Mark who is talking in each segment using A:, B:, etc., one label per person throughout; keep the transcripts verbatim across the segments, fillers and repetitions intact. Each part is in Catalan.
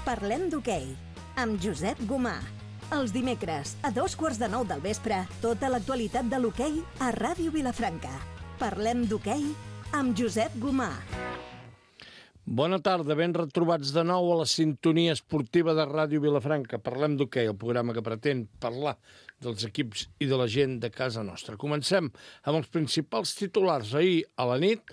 A: Parlem d'hoquei, amb Josep Gomà. Els dimecres, a dos quarts de nou del vespre, tota l'actualitat de l'hoquei a Ràdio Vilafranca. Parlem d'hoquei amb Josep Gomà.
B: Bona tarda, ben retrobats de nou a la sintonia esportiva de Ràdio Vilafranca. Parlem d'hoquei, el programa que pretén parlar dels equips i de la gent de casa nostra. Comencem amb els principals titulars. Ahir a la nit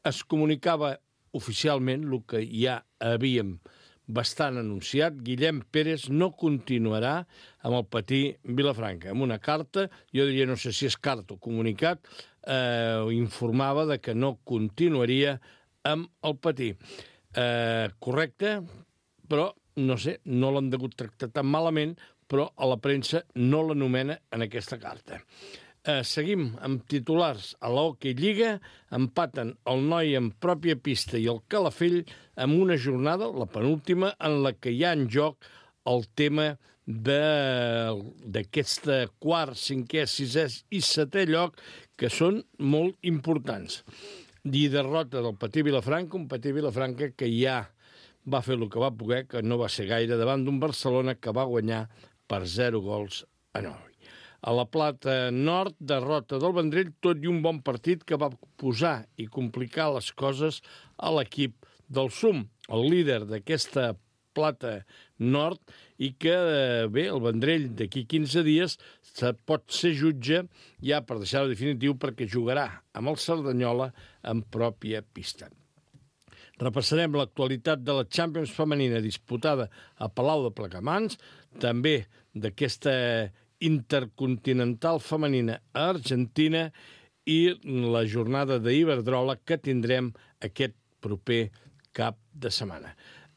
B: es comunicava oficialment el que ja havíem bastant anunciat. Guillem Pérez no continuarà amb el Patí Vilafranca. Amb una carta, jo diria, no sé si és carta o comunicat, eh, informava de que no continuaria amb el Patí. Eh, correcte, però, no sé, no l'han degut tractar tan malament, però a la premsa no l'anomena en aquesta carta. Eh, seguim amb titulars. A l'Hockey Lliga empaten el Noi en pròpia pista i el Calafell amb una jornada, la penúltima, en la que hi ha en joc el tema d'aquest quart, cinquè, sisè i setè lloc, que són molt importants. I derrota del Patí Vilafranca, un Patí Vilafranca que ja va fer el que va poder, que no va ser gaire, davant d'un Barcelona que va guanyar per zero gols a nou. A la Plata Nord, derrota del Vendrell, tot i un bon partit que va posar i complicar les coses a l'equip del S U M, el líder d'aquesta Plata Nord, i que, bé, el Vendrell d'aquí quinze dies pot ser jutge ja per deixar-ho definitiu perquè jugarà amb el Cerdanyola en pròpia pista. Repassarem l'actualitat de la Champions femenina disputada a Palau de Plegamans, també d'aquesta intercontinental femenina a Argentina i la jornada d'Iberdrola que tindrem aquest proper cap de setmana.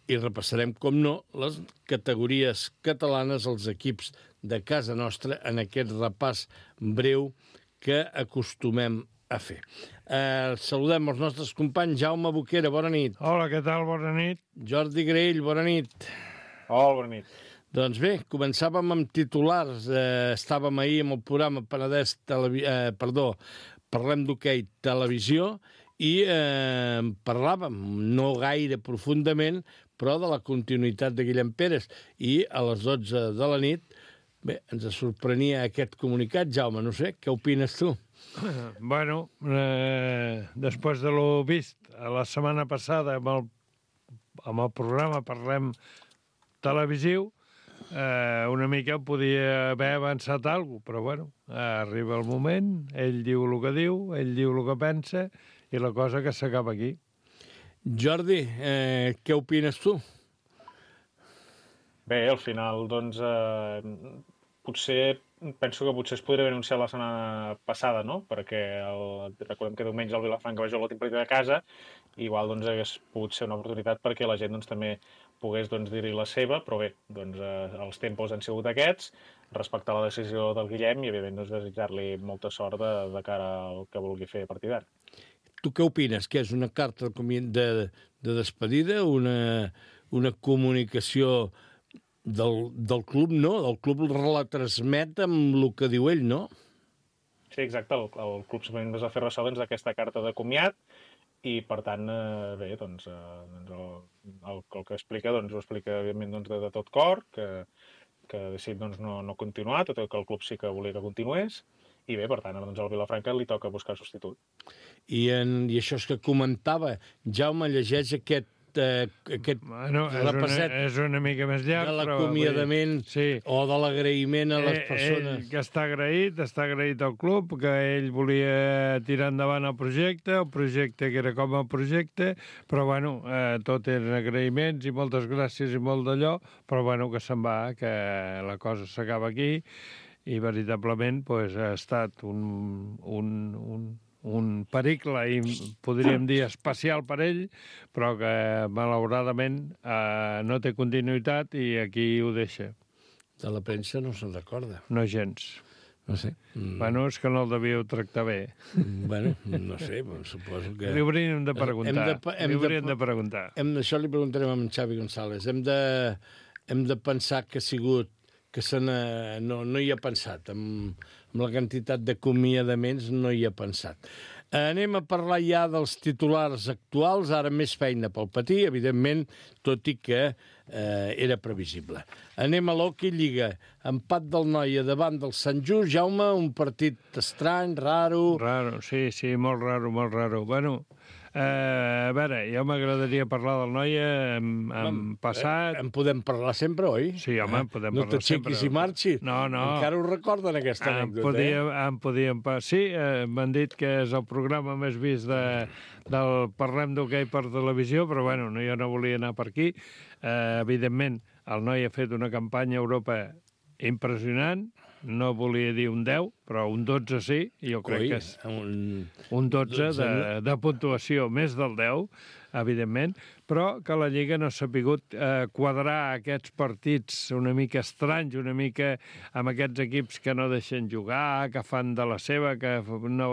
B: I repassarem, com no, les categories catalanes, els equips de casa nostra, en aquest repàs breu que acostumem a fer. Eh, saludem els nostres companys. Jaume Boquera, bona nit.
C: Hola, què tal? Bona nit.
B: Jordi Graell, bona nit.
D: Hola, bona nit.
B: Doncs bé, començàvem amb titulars. Eh, estàvem ahir amb el programa Penedès Televi... eh, perdó, Parlem d'hoquei televisió i eh, parlàvem, no gaire profundament, però de la continuïtat de Guillem Pérez. I a les dotze de la nit, bé, ens sorprenia aquest comunicat. Jaume, no sé, què opines tu?
C: Bueno, eh, després de lo vist la setmana passada amb el, amb el programa Parlem televisiu, eh, una mica podia haver avançat alguna cosa, però bueno, arriba el moment, ell diu el que diu, ell diu el que pensa, i la cosa que s'acaba aquí.
B: Jordi, eh, què opines tu?
D: Bé, al final, doncs, eh, potser, penso que potser es podria haver anunciat la setmana passada, no? Perquè el, recordem que diumenge el Vilafranca va jugar l'últim partit de casa, i igual doncs, hagués pogut ser una oportunitat perquè la gent doncs, també pogués doncs, dir-hi la seva, però bé, doncs, eh, els tempos han sigut aquests, respectar la decisió del Guillem i, evidentment, doncs, desitjar-li molta sort de, de cara al que vulgui fer a partir d'ara.
B: Tu què opines? Que és una carta de, de despedida, una, una comunicació del, del club, no? El club la transmet amb el que diu ell, no?
D: Sí, exacte. El, el club simplement es va fer ressò doncs, d'aquesta carta de comiat i, per tant, eh, bé, doncs, eh, doncs el, el, el que explica doncs, ho explica, evidentment, doncs, de, de tot cor, que, que ha decidit doncs, no, no continuar, tot i que el club sí que volia que continués, i bé, per tant, doncs, al Vilafranca li toca buscar substitut.
B: I, en, i això és que comentava, Jaume llegeix aquest, eh, aquest
C: bueno, és
B: repasset
C: una, és una mica més llarg,
B: de l'acomiadament
C: sí.
B: o de l'agraïment a les
C: eh,
B: persones.
C: Ell que està agraït, està agraït al club, que ell volia tirar endavant el projecte, el projecte que era com el projecte, però bueno, eh, tot eren agraïments i moltes gràcies i molt d'allò, però bueno, que se'n va, que la cosa s'acaba aquí, i veritablement pues, ha estat un, un, un, un pericle, i podríem dir especial per ell, però que malauradament eh, no té continuïtat i aquí ho deixa.
B: De la premsa no se'n recorda.
C: No gens.
B: No sé.
C: Mm. Bueno, és que no el devíeu tractar bé.
B: Bueno, no sé, suposo que...
C: Li hauríem de preguntar. Hem de, hem li hauríem de, de preguntar.
B: Hem, això li preguntarem a en Xavi González. Hem de, hem de pensar que ha sigut que se no, no hi ha pensat. Amb, amb la quantitat d'acomiadaments no hi ha pensat. Anem a parlar ja dels titulars actuals, ara més feina pel Patí, evidentment, tot i que eh, era previsible. Anem a l'Hockey Lliga. Empat del Noia davant del Sant Just. Jaume, un partit estrany, raro...
C: Raro, sí, sí, molt raro, molt raro. Bueno, eh, a veure, jo m'agradaria parlar del Noia en, en passat...
B: Eh, en podem parlar sempre, oi?
C: Sí, home, en podem
B: no
C: parlar sempre.
B: No t'aixequis i marxis.
C: No, no.
B: Encara ho recorden, aquesta
C: em
B: anècdota,
C: podíem,
B: eh?
C: em podíem... Sí, eh, m'han dit que és el programa més vist de, del Parlem d'Hoquei per televisió, però bueno, no, jo no volia anar per aquí. Eh, evidentment, el Noi ha fet una campanya a Europa impressionant, no volia dir un deu, però un dotze sí, i jo crec
B: Oi,
C: que és
B: un,
C: un dotze,
B: dotze
C: de, de puntuació, més del deu, evidentment, però que la Lliga no s'ha pogut eh, quadrar aquests partits una mica estranys, una mica amb aquests equips que no deixen jugar, que fan de la seva, que, no,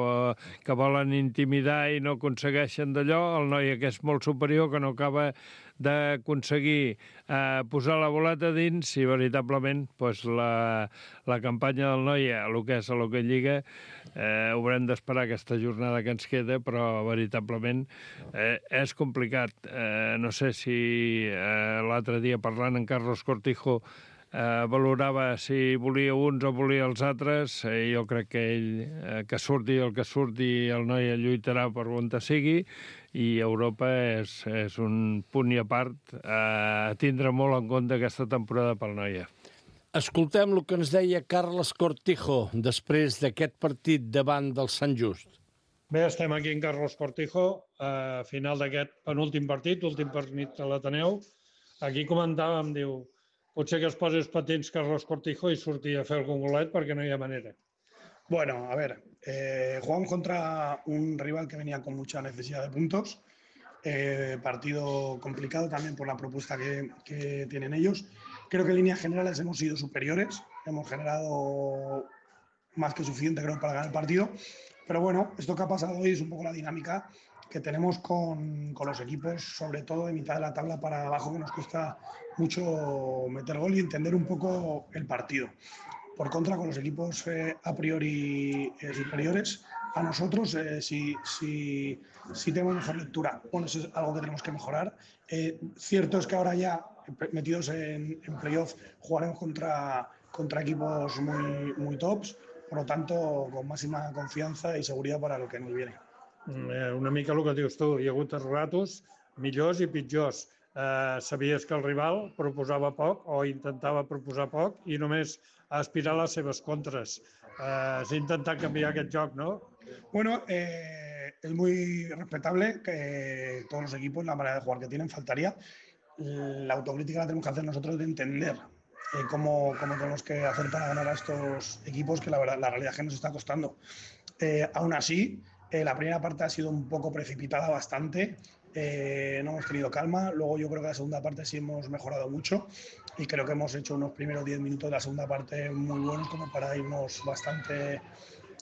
C: que volen intimidar i no aconsegueixen d'allò, el Noi que és molt superior, que no acaba d'aconseguir eh, posar la boleta dins i veritablement pues, la, la campanya del Noia, el que és a l'Hockey Lliga, eh, haurem d'esperar aquesta jornada que ens queda, però veritablement eh, és complicat. Eh, no sé si eh, l'altre dia parlant amb Carlos Cortijo eh, valorava si volia uns o volia els altres. Eh, jo crec que ell, eh, que surti el que surti, el Noia lluitarà per on sigui, i Europa és, és un punt i a part eh, a tindre molt en compte aquesta temporada pel Noia.
B: Escoltem el que ens deia Carles Cortijo després d'aquest partit davant del Sant Just.
E: Bé, estem aquí en Carlos Cortijo, a final d'aquest penúltim partit, últim partit a l'Ateneu. Aquí comentàvem, diu, potser que es posi els patins Carlos Cortijo i surti a fer algun golet perquè no hi ha manera.
F: Bueno, a ver, eh, jugamos contra un rival que venía con mucha necesidad de puntos, eh, partido complicado también por la propuesta que, que tienen ellos. Creo que en líneas generales hemos sido superiores, hemos generado más que suficiente creo para ganar el partido, pero bueno, esto que ha pasado hoy es un poco la dinámica que tenemos con, con los equipos, sobre todo de mitad de la tabla para abajo, que nos cuesta mucho meter gol y entender un poco el partido. Por contra, con los equipos eh, a priori eh, superiores, a nosotros eh, sí, sí, sí tenemos mejor lectura. Bueno, eso es algo que tenemos que mejorar. Eh, cierto es que ahora ya, metidos en, en playoff, jugaremos contra, contra equipos muy, muy tops, por lo tanto, con máxima confiança i seguretat per a lo que ens viene.
E: Una mica el que dius tu, hi ha hagut ratos millors i pitjors. Eh, sabies que el rival proposava poc o intentava proposar poc i només aspirar a les seves contres. Eh, S'ha intentat canviar aquest joc, ¿no?
F: Bueno, eh, es muy respetable que todos los equipos, la manera de jugar que tienen, faltaría. La autocrítica la tenemos que hacer nosotros de entender eh, cómo, cómo tenemos que hacer para ganar a estos equipos, que la, verdad, la realidad es que nos está costando. Eh, aún así, eh, la primera parte ha sido un poco precipitada bastante. Eh, no hemos tenido calma. Luego yo creo que la segunda parte sí hemos mejorado mucho y creo que hemos hecho unos primeros diez minutos de la segunda parte muy buenos como para irnos bastante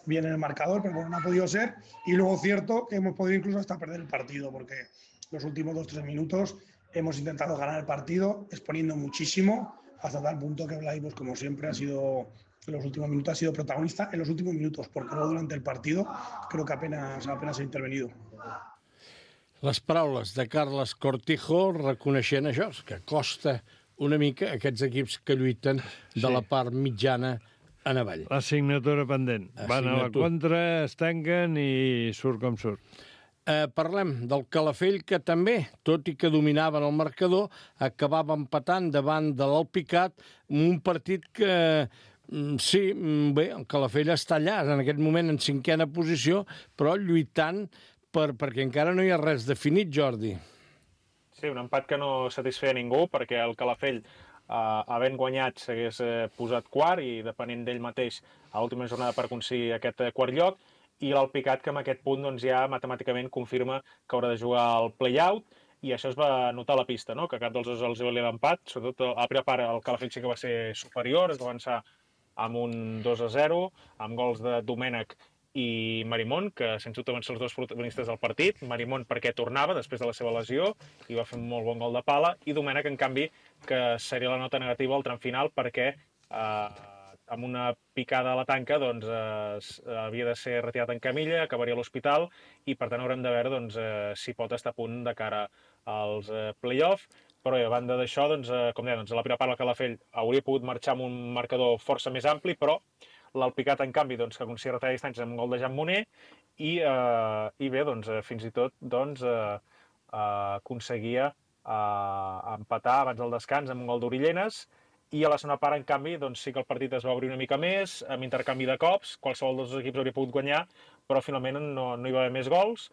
F: bien en el marcador, pero bueno, no ha podido ser. Y luego cierto que hemos podido incluso hasta perder el partido, porque los últimos dos o tres minutos hemos intentado ganar el partido exponiendo muchísimo, hasta tal punto que Blai, pues como siempre, ha sido en los últimos minutos ha sido protagonista en los últimos minutos, porque luego durante el partido creo que apenas, apenas ha intervenido.
B: Les paraules de Carles Cortijo reconeixent això, que costa una mica aquests equips que lluiten de
C: Sí.
B: la part mitjana en avall.
C: La signatura pendent. Van a la contra, es tanquen i surt com surt.
B: Eh, parlem del Calafell, que també, tot i que dominaven el marcador, acabava empatant davant de l'Alpicat, un partit que, sí, bé, el Calafell està allà, en aquest moment en cinquena posició, però lluitant per, perquè encara no hi ha res definit, Jordi.
D: Sí, un empat que no satisfeia ningú, perquè el Calafell, eh, havent guanyat, s'hagués eh, posat quart i depenent d'ell mateix a l'última jornada per aconseguir aquest eh, quart lloc, i l'Alpicat, que en aquest punt doncs, ja matemàticament confirma que haurà de jugar al play-out, i això es va notar a la pista, no? Que cap dels dos els valia l'empat, sobretot a la primera part el Calafell sí que va ser superior, es va avançar amb un dos a zero, amb gols de Domènech i Marimón, que sens dubte van ser els dos protagonistes del partit. Marimón perquè tornava després de la seva lesió i va fer un molt bon gol de pala, i Domènech, en canvi, que seria la nota negativa al tram final perquè eh, amb una picada a la tanca doncs, eh, havia de ser retirat en camilla, acabaria a l'hospital i per tant haurem de veure doncs, eh, si pot estar a punt de cara als eh, play-off. Però a banda d'això, doncs, eh, com deia, doncs, a la primera part el Calafell hauria pogut marxar amb un marcador força més ampli, però l'Alpicat, en canvi, doncs, que aconseguia retirar distància amb un gol de Jan Moner i, eh, i bé, doncs, fins i tot doncs, eh, eh, aconseguia eh, empatar abans del descans amb un gol d'Orillenes i a la segona part, en canvi, doncs, sí que el partit es va obrir una mica més, amb intercanvi de cops, qualsevol dels dos equips hauria pogut guanyar, però finalment no, no hi va haver més gols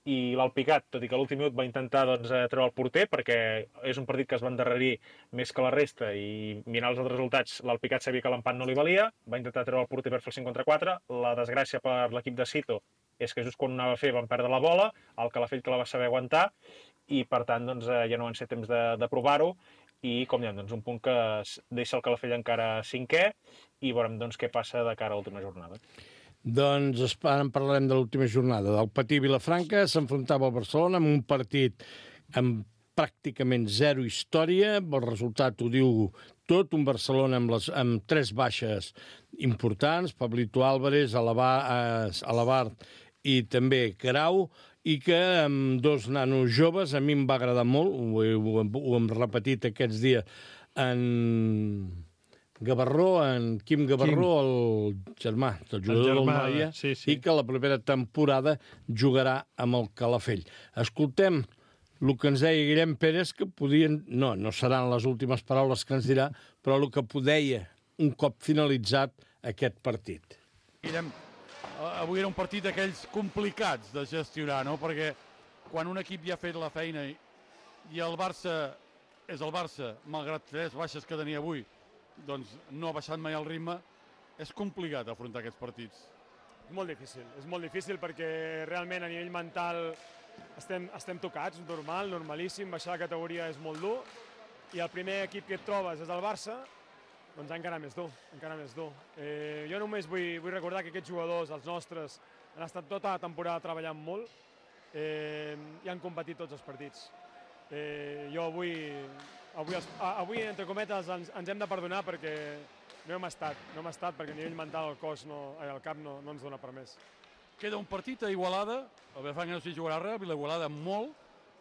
D: i l'Alpicat, tot i que a l'últim minut va intentar doncs, treure el porter, perquè és un partit que es va endarrerir més que la resta i mirant els altres resultats, l'Alpicat sabia que l'empat no li valia, va intentar treure el porter per fer el cinc contra quatre, la desgràcia per l'equip de Sito és que just quan ho anava a fer van perdre la bola, el Calafell que la va saber aguantar i per tant doncs, ja no van ser temps de, de provar-ho i com diem, doncs, un punt que deixa el Calafell encara cinquè i veurem doncs, què passa de cara a l'última jornada.
B: Doncs ara en parlarem de l'última jornada. Del Patí Vilafranca s'enfrontava al Barcelona amb un partit amb pràcticament zero història. El resultat ho diu tot. Un Barcelona amb, les, amb tres baixes importants, Pablito Álvarez, Alabart i també Carau, i que amb dos nanos joves, a mi em va agradar molt, ho, ho, ho hem repetit aquests dies, en Gavarró, en Quim Gavarró, Quim. el germà del jugador del Noia, sí, sí. I que la propera temporada jugarà amb el Calafell. Escoltem el que ens deia Guillem Pérez, que podien... No, no seran les últimes paraules que ens dirà, però el que podeia un cop finalitzat aquest partit.
G: Guillem, avui era un partit d'aquells complicats de gestionar, no? Perquè quan un equip ja ha fet la feina i, i el Barça és el Barça, malgrat tres baixes que tenia avui, doncs no ha baixat mai el ritme, és complicat afrontar aquests partits.
H: És molt difícil, és molt difícil perquè realment a nivell mental estem, estem tocats, normal, normalíssim, baixar la categoria és molt dur i el primer equip que et trobes és el Barça, doncs encara més dur, encara més dur. Eh, jo només vull, vull recordar que aquests jugadors, els nostres, han estat tota la temporada treballant molt eh, i han competit tots els partits. Eh, jo avui, avui, avui, entre cometes, ens, ens hem de perdonar perquè no hem estat, no hem estat perquè a nivell mental el cos, no, el cap no, no ens dona per més.
G: Queda un partit a Igualada, el Vilafranca no s'hi jugarà res, a Igualada molt.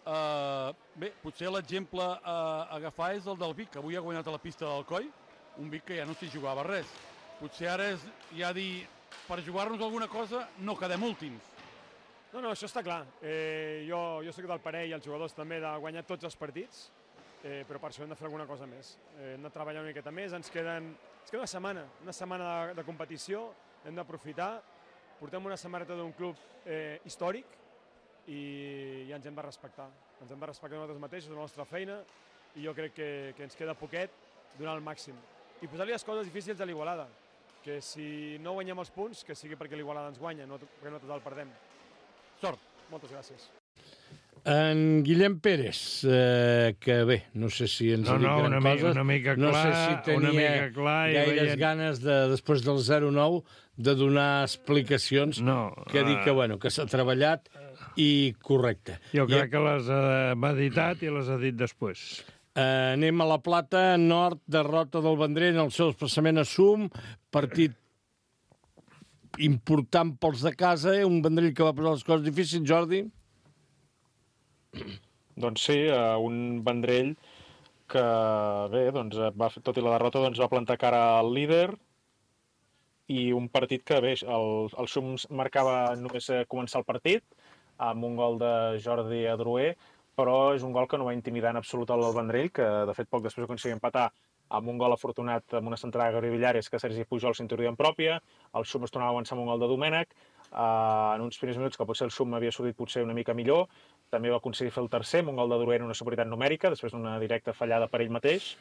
G: Uh, bé, potser l'exemple a agafar és el del Vic, que avui ha guanyat a la pista del Coi, un Vic que ja no s'hi jugava res. Potser ara és ja dir, per jugar-nos alguna cosa, no quedem últims.
H: No, no, això està clar. Eh, jo, jo soc del parer, i els jugadors també, de guanyar tots els partits, eh, però per això hem de fer alguna cosa més. Eh, hem de treballar una miqueta més, ens, queden, ens queda una setmana, una setmana de, de competició, hem d'aprofitar, portem una samarreta d'un club eh, històric i, i ens hem de respectar. Ens hem de respectar nosaltres mateixos, la nostra feina, i jo crec que, que ens queda poquet donar el màxim. I posar-li les coses difícils a l'Igualada, que si no guanyem els punts, que sigui perquè l'Igualada ens guanya, no perquè nosaltres el perdem.
G: Sort.
H: Moltes gràcies.
B: En Guillem Pérez, eh, que bé, no sé si ens
C: no,
B: ha dit
C: no,
B: gran
C: una
B: coses,
C: mica, una mica clar,
B: no sé si tenia
C: una mica clar
B: gaires
C: veient...
B: ganes, de, després del zero nou, de donar explicacions,
C: no,
B: que ha dit que, bueno, que s'ha treballat i correcte.
C: Jo crec
B: I,
C: que les ha meditat i les ha dit després.
B: Eh, anem a la Plata, Nord, derrota del Vendrell en el seu desplaçament a Sum, partit important pels de casa, eh? Un Vendrell que va posar les coses difícils, Jordi?
D: Doncs sí, un Vendrell que, bé, doncs, va, tot i la derrota, doncs, va plantar cara al líder i un partit que, bé, el, el Sum marcava només començar el partit amb un gol de Jordi Adroer, però és un gol que no va intimidar en absolut el Vendrell, que de fet poc després aconseguia empatar amb un gol afortunat amb una centrada de Gabriel Villares que Sergi Pujol s'introduïa en pròpia, el Sum es tornava a avançar amb un gol de Domènech, uh, en uns primers minuts que potser el Sum havia sortit potser una mica millor, també va aconseguir fer el tercer amb un gol de Duruer en una superioritat numèrica, després d'una directa fallada per ell mateix,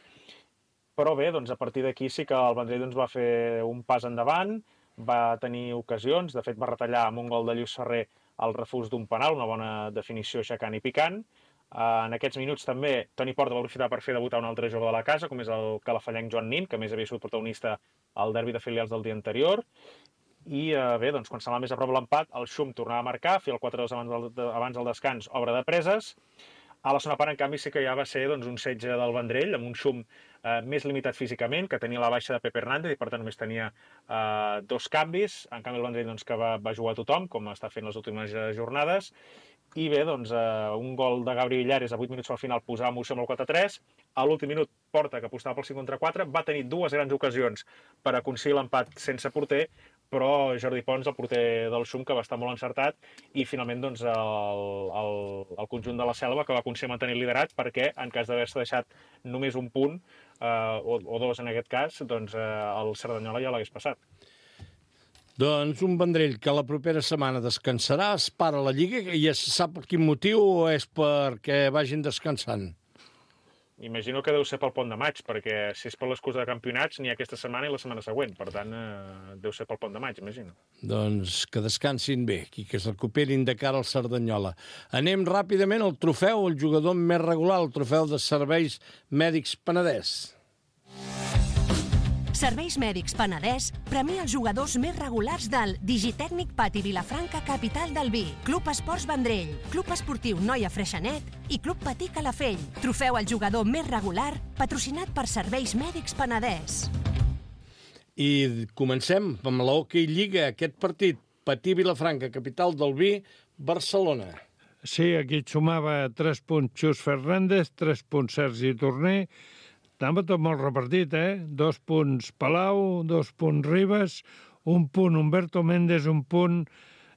D: però bé, doncs a partir d'aquí sí que el Vendrell doncs, va fer un pas endavant, va tenir ocasions, de fet va retallar amb un gol de Lluís Ferrer el refús d'un penal, una bona definició aixecant i picant. Uh, en aquests minuts també Toni Porta va aprofitar per fer debutar un altre jove de la casa, com és el calafallenc Joan Nin, que a més havia sigut protagonista al derbi de filials del dia anterior. I uh, bé, doncs, quan s'anava més a prop l'empat, el Xum tornava a marcar, feia el quatre dos abans del, de, abans del descans, obra de preses. A la segona part, en canvi, sí que ja va ser doncs, un setge del Vendrell, amb un xum eh, més limitat físicament, que tenia la baixa de Pepe Hernández i per tant només tenia eh, dos canvis. En canvi, el Vendrell doncs, que va, va jugar a tothom, com està fent les últimes jornades. I bé, doncs, eh, un gol de Gabri Villares a vuit minuts al final posava emoció amb el quatre a tres. A l'últim minut, Porta, que apostava pel cinc contra quatre, va tenir dues grans ocasions per aconseguir l'empat sense porter, però Jordi Pons, el porter del Xum, que va estar molt encertat, i finalment doncs, el, el, el conjunt de la Selva, que va aconseguir mantenir el liderat, perquè en cas d'haver-se deixat només un punt, eh, o, o dos en aquest cas, doncs eh, el Cerdanyola ja l'hagués passat.
B: Doncs un Vendrell que la propera setmana descansarà, es para la Lliga, i ja se sap per quin motiu o és perquè vagin descansant?
D: Imagino que deu ser pel pont de maig, perquè si és per l'excusa de campionats n'hi ha aquesta setmana i la setmana següent. Per tant, eh, deu ser pel pont de maig, imagino.
B: Doncs que descansin bé, i que es recuperin de cara al Cerdanyola. Anem ràpidament al trofeu, el jugador més regular, el trofeu de Serveis Mèdics Penedès.
I: Serveis Mèdics Penedès premia els jugadors més regulars del Digitècnic Pati Vilafranca, capital del vi, Club Esports Vendrell, Club Esportiu Noia Freixenet i Club Patí Calafell. Trofeu al jugador més regular, patrocinat per Serveis Mèdics Penedès.
B: I comencem amb la Hockey Lliga, aquest partit, Patí Vilafranca, capital del vi, Barcelona.
C: Sí, aquí et sumava tres punts Xus Fernández, tres punts Sergi Torner. Estava tot molt repartit, eh? Dos punts Palau, dos punts Ribas, un punt Humberto Méndez, un punt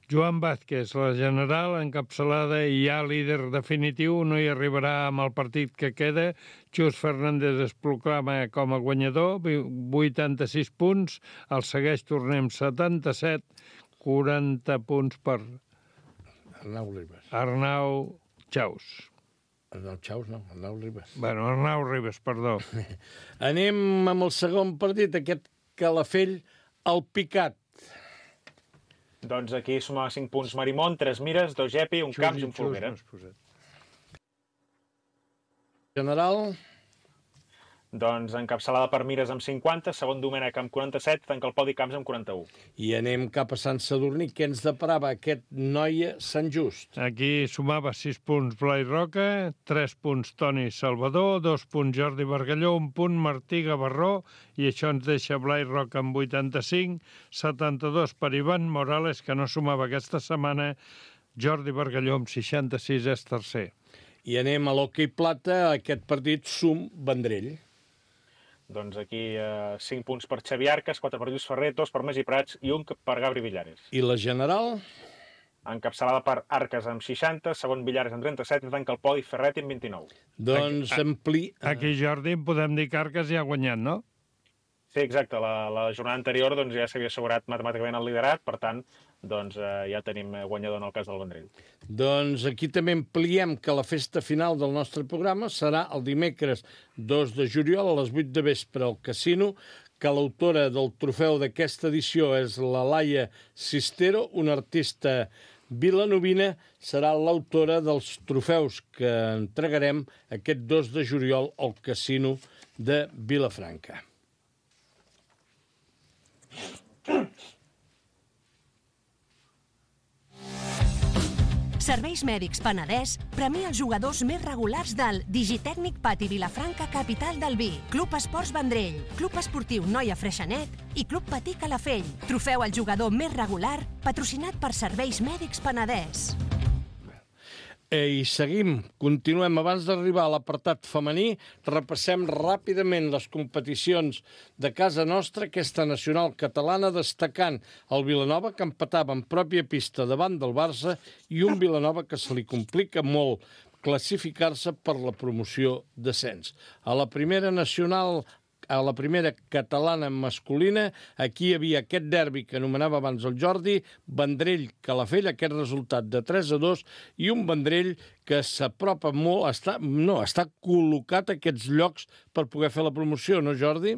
C: Joan Vázquez. La general encapçalada i ja líder definitiu, no hi arribarà amb el partit que queda. Xus Fernández es proclama com a guanyador, vuitanta-sis punts, el segueix Torner amb setanta-set, quaranta punts per
B: Arnau Ribas.
C: Arnau Chaus.
B: Arnau Chaus, no, Arnau Ribas.
C: Bueno, Arnau Ribas, perdó.
B: Anem amb el segon partit, aquest Calafell, el Picat.
D: Doncs aquí sumava cinc punts Marimón, tres Mires, dos Gepi, un Camps i un Folguera.
B: General...
D: Doncs encapçalada per Mires amb cinquanta, segon Domènech amb quaranta-set, tanca el podi Camps amb quaranta-u.
B: I anem cap a Sant Sadurní. Què ens deparava aquest Noia Sant Just?
C: Aquí sumava sis punts Blai Roca, tres punts Toni Salvador, dos punts Jordi Bargalló, un punt Martí Gavarró, i això ens deixa Blai Roca amb vuitanta-cinc, setanta-dos per Ivan Morales, que no sumava aquesta setmana, Jordi Bargalló amb seixanta-sis és tercer.
B: I anem a l'Hockey Plata, aquest partit Sum Vendrell.
D: Doncs aquí eh, cinc punts per Xavi Arcas, quatre per Lluís Ferrer, dos per Magí Prats i un per Gabri Villares.
B: I la general?
D: Encapçalada per Arcas amb seixanta, segon Villares amb trenta-set i tanca el podi Ferret amb vint-i-nou.
B: Doncs ampli...
C: Aquí, Jordi, podem dir que Arcas ja ha guanyat, no?
D: Sí, exacte. La, la jornada anterior doncs, ja s'havia assegurat matemàticament el liderat, per tant, doncs, eh, ja tenim guanyador en el cas del Vendrell.
B: Doncs aquí també ampliem que la festa final del nostre programa serà el dimecres dos de juliol a les vuit de vespre al Casino, que l'autora del trofeu d'aquesta edició és la Laia Sistero, una artista vilanovina, serà l'autora dels trofeus que entregarem aquest dos de juliol al Casino de Vilafranca.
I: Serveis Mèdics Penedès premia els jugadors més regulars del Digitècnic Pati Vilafranca, capital del vi, Club Esports Vendrell, Club Esportiu Noia Freixenet i Club Patí Calafell. Trofeu al jugador més regular, patrocinat per Serveis Mèdics Penedès.
B: I seguim, continuem. Abans d'arribar a l'apartat femení, repassem ràpidament les competicions de casa nostra, aquesta nacional catalana, destacant el Vilanova, que empatava en pròpia pista davant del Barça, i un Vilanova que se li complica molt classificar-se per la promoció d'ascens. A la primera nacional, a la primera catalana masculina, aquí hi havia aquest derbi que anomenava abans el Jordi, Vendrell-Calafell, aquest resultat de tres a dos, i un Vendrell que s'apropa molt, està, no, està col·locat a aquests llocs per poder fer la promoció, no, Jordi?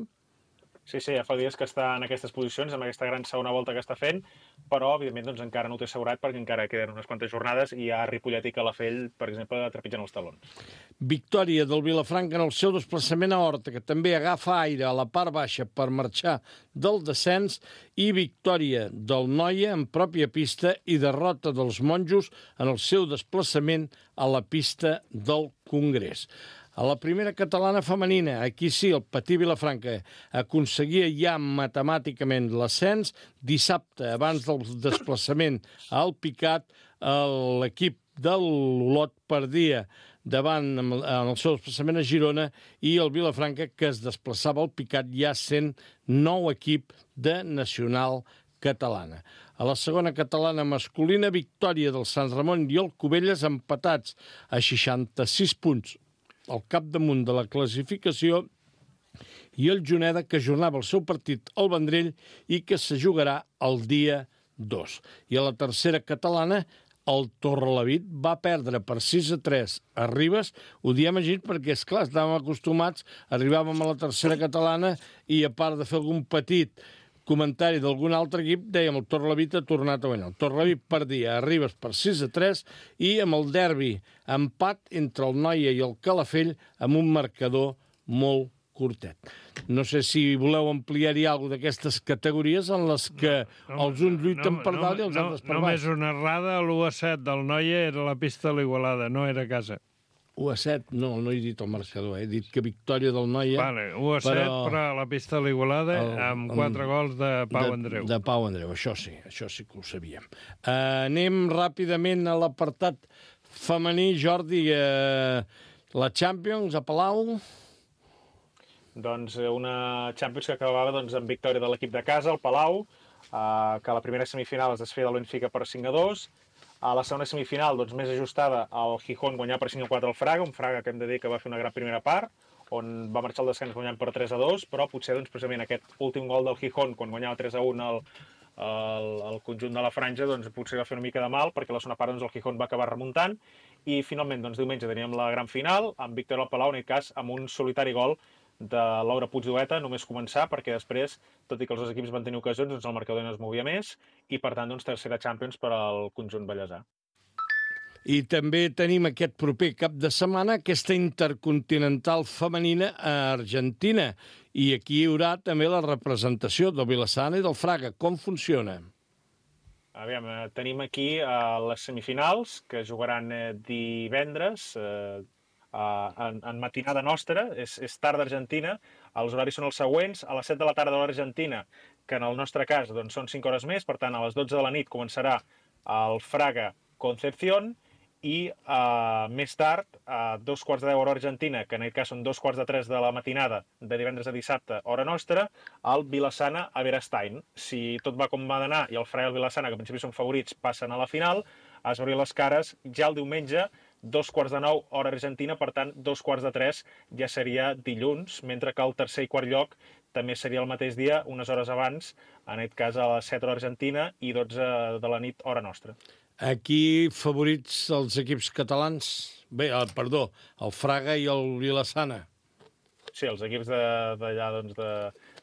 D: Sí, sí, ja fa dies que està en aquestes posicions, amb aquesta gran segona volta que està fent, però, evidentment, doncs, encara no ho té assegurat perquè encara queden unes quantes jornades i hi ha Ripollet i Calafell, per exemple, trepitjant els talons.
B: Victòria del Vilafranca en el seu desplaçament a Horta, que també agafa aire a la part baixa per marxar del descens, i victòria del Noia en pròpia pista i derrota dels Monjos en el seu desplaçament a la pista del Congrés. A la primera catalana femenina, aquí sí, el Patí Vilafranca aconseguia ja matemàticament l'ascens. Dissabte, abans del desplaçament al Picat, l'equip de l'Olot perdia davant en el seu desplaçament a Girona i el Vilafranca, que es desplaçava al Picat, ja sent nou equip de Nacional Catalana. A la segona catalana masculina, victòria del Sant Ramon i el Cubelles empatats a seixanta-sis punts al capdamunt de la classificació, i el Juneda, que ajornava el seu partit al Vendrell i que se jugarà el dia dos. I a la tercera catalana, el Torrelavit va perdre per sis a tres a Ribes. Ho diem així perquè, esclar, estàvem acostumats, arribàvem a la tercera catalana i, a part de fer algun petit comentari d'algun altre equip, dèiem el Torrelavit ha tornat a guanyar. El Torrelavit perdia a Ribes per sis a tres i amb el derbi empat entre el Noia i el Calafell amb un marcador molt curtet. No sé si voleu ampliar-hi alguna d'aquestes categories en les que no, no, els uns lluiten no, per dalt no, i els no, altres per baix.
C: Només una errada, l'u a set del Noia era la pista de l'Igualada, no era a casa.
B: u a set, no, no he dit el marcador, he dit que victòria del Noia...
C: Vale, u a set, però, però a la pista de l'Igualada amb quatre gols de Pau
B: de,
C: Andreu.
B: De Pau Andreu, això sí, això sí que ho sabíem. Uh, anem ràpidament a l'apartat femení. Jordi, uh, la Champions a Palau...
D: Doncs una Champions que acabava doncs, amb victòria de l'equip de casa, el Palau, uh, que a la primera semifinal es desfeia del Benfica per cinc a dos. A la segona semifinal, doncs, més ajustada, el Gijón guanyar per cinc a quatre al Fraga, un Fraga que hem de dir que va fer una gran primera part, on va marxar al descans guanyant per tres a dos, però potser doncs, precisament aquest últim gol del Gijón, quan guanyava tres a un el, el, el conjunt de la franja, doncs, potser va fer una mica de mal, perquè a la segona part doncs, el Gijón va acabar remuntant, i finalment, doncs, diumenge teníem la gran final, amb victòria al Palau, en aquest cas, amb un solitari gol de Laura Puigdueta, només començar, perquè després, tot i que els dos equips van tenir ocasions, doncs el marcador no es movia més, i per tant, doncs, tercera Champions per al conjunt ballesà.
B: I també tenim aquest proper cap de setmana aquesta intercontinental femenina a Argentina, i aquí hi haurà també la representació del Vilassana i del Fraga. Com funciona?
D: Aviam, tenim aquí uh, les semifinals, que jugaran uh, divendres, uh, Uh, en, en matinada nostra, és, és tard d'Argentina, els horaris són els següents: a les set de la tarda de l'Argentina, que en el nostre cas doncs, són cinc hores més, per tant a les dotze de la nit començarà el Fraga Concepción, i uh, més tard, a dos quarts de deu hora Argentina, que en aquest cas són dos quarts de tres de la matinada de divendres a dissabte, hora nostra, el Vilassana a Berestein. Si tot va com va d'anar i el Fraga i el Vilassana, que en principi són favorits, passen a la final, es veuran les cares ja el diumenge, dos quarts de nou, hora argentina, per tant, dos quarts de tres ja seria dilluns, mentre que el tercer i quart lloc també seria el mateix dia, unes hores abans, en aquest cas a les set hora argentina i dotze de la nit, hora nostra.
B: Aquí favorits els equips catalans? Bé, el, perdó, el Fraga i el Vilassana.
D: Sí, els equips d'allà, doncs, de,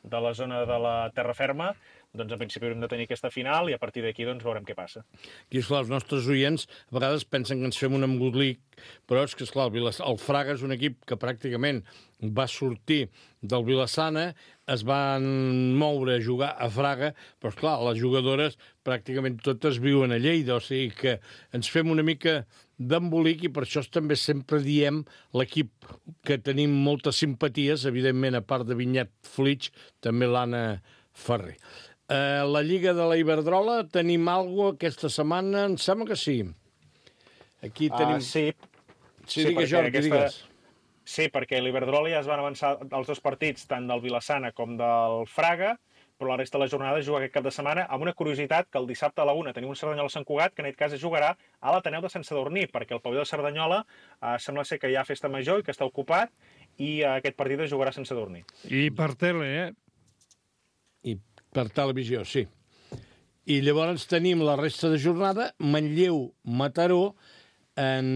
D: de la zona de la terra ferma, doncs en principi haurem de tenir aquesta final i a partir d'aquí doncs veurem què passa.
B: Aquí, esclar, els nostres oients a vegades pensen que ens fem un embolic, però és que, esclar, el, el Fraga és un equip que pràcticament va sortir del Vilassana, es van moure a jugar a Fraga, però, esclar, les jugadores pràcticament totes viuen a Lleida, o sigui que ens fem una mica d'embolic i per això també sempre diem l'equip que tenim moltes simpaties, evidentment, a part de Vinyet Flitx, també l'Anna Ferrer. Uh, la Lliga de la Iberdrola, tenim alguna cosa aquesta setmana? Em sembla que sí. Aquí tenim...
D: Uh, sí.
B: Sí, sí, digues, Jordi, aquesta... digues.
D: Sí, perquè l'Iberdrola ja es van avançar els dos partits, tant del Vilassana com del Fraga, però la resta de la jornada es juga aquest cap de setmana amb una curiositat que el dissabte a la una tenim un Cerdanyola-Sant Cugat, que en aquest cas es jugarà a l'Ateneu de Sant Sadurní, perquè el pavelló de Cerdanyola uh, sembla ser que hi ha festa major i que està ocupat, i uh, aquest partit es jugarà a Sant Sadurní.
C: I per tele, eh?
B: I per televisió, sí. I llavors tenim la resta de jornada, Manlleu-Mataró, en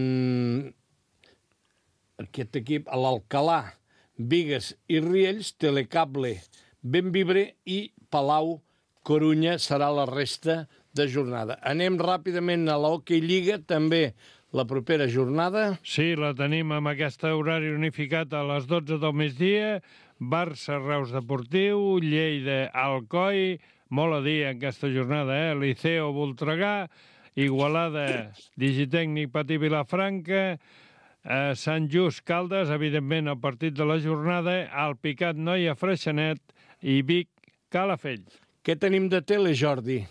B: aquest equip, a l'Alcalà, Bigues i Riells, Telecable, Bembibre i Palau Corunya serà la resta de jornada. Anem ràpidament a l'Hockey Lliga, també la propera jornada.
C: Sí, la tenim amb aquest horari unificat a les dotze del migdia. Barça, Reus Deportiu, Lleida, Alcoi, molt a dir en aquesta jornada, eh? Liceo, Voltregà, Igualada, Digitècnic, Patí, Vilafranca, eh, Sant Just, Caldes, evidentment el partit de la jornada, Alpicat, Noia, Freixenet i Vic, Calafell.
B: Què tenim de tele, Jordi?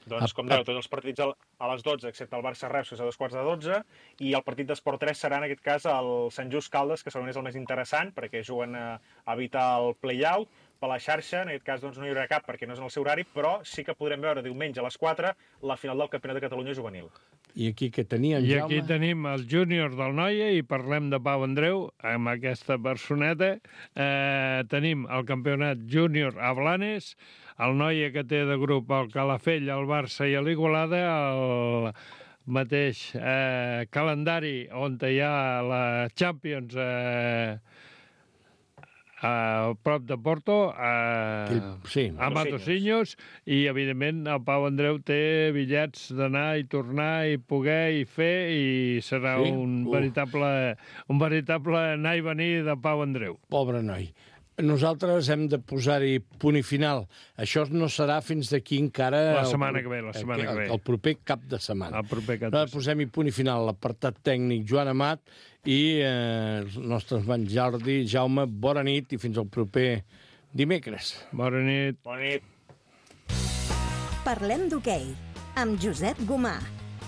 D: Doncs, com dèieu, tots els partits a les dotze, excepte el Barça-Reus, que és a dos quarts de dotze, i el partit d'Esport tres serà, en aquest cas, el Sant Just Caldes, que segurament és el més interessant, perquè juguen a evitar el play-out. Per la xarxa, en aquest cas, doncs, no hi haurà cap, perquè no és en el seu horari, però sí que podrem veure diumenge a les quatre la final del Campionat de Catalunya juvenil.
B: I aquí què teníem,
C: I
B: Jaume?
C: aquí tenim els júniors del Noia i parlem de Pau Andreu amb aquesta personeta. Eh, tenim el campionat júnior a Blanes, el Noia que té de grup el Calafell, el Barça i l'Igualada, el mateix eh, calendari on hi ha la Champions eh, a prop de Porto, a,
B: sí,
C: a Matosinhos, i evidentment el Pau Andreu té bitllets d'anar i tornar i poder i fer, i serà
B: sí?
C: un,
B: uh.
C: veritable, un veritable anar i venir de Pau Andreu.
B: Pobre noi. Nosaltres hem de posar-hi punt i final. Això no serà fins d'aquí encara...
C: La setmana que ve, la setmana
B: el,
C: que ve.
B: El proper cap de setmana.
C: El proper cap de setmana.
B: Posem-hi punt i final. L'apartat tècnic Joan Amat i eh, els nostres van Jordi, Jaume, bona nit i fins al proper dimecres.
C: Bona nit.
D: Bona nit.
A: Parlem d'hoquei amb Josep Gomà.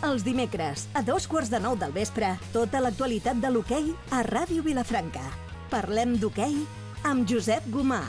A: Els dimecres, a dos quarts de nou del vespre, tota l'actualitat de l'hoquei a Ràdio Vilafranca. Parlem d'hoquei amb Josep Gomà.